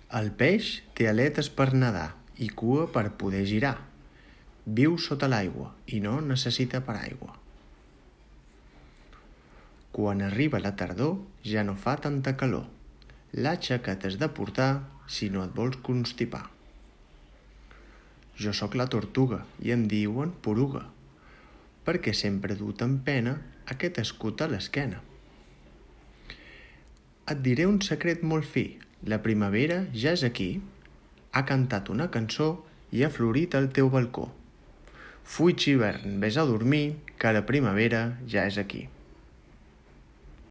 El peix té aletes per nedar i cua per poder girar. Viu sota l'aigua i no necessita paraigua. Quan arriba la tardor ja no fa tanta calor. L'atxa que t'has de portar si no et vols constipar. Jo sóc la tortuga i em diuen poruga, perquè sempre he dut en pena aquest escut a l'esquena. Et diré un secret molt fi, la primavera ja és aquí. Ha cantat una cançó i ha florit al teu balcó. Fuig hivern, vés a dormir, que la primavera ja és aquí.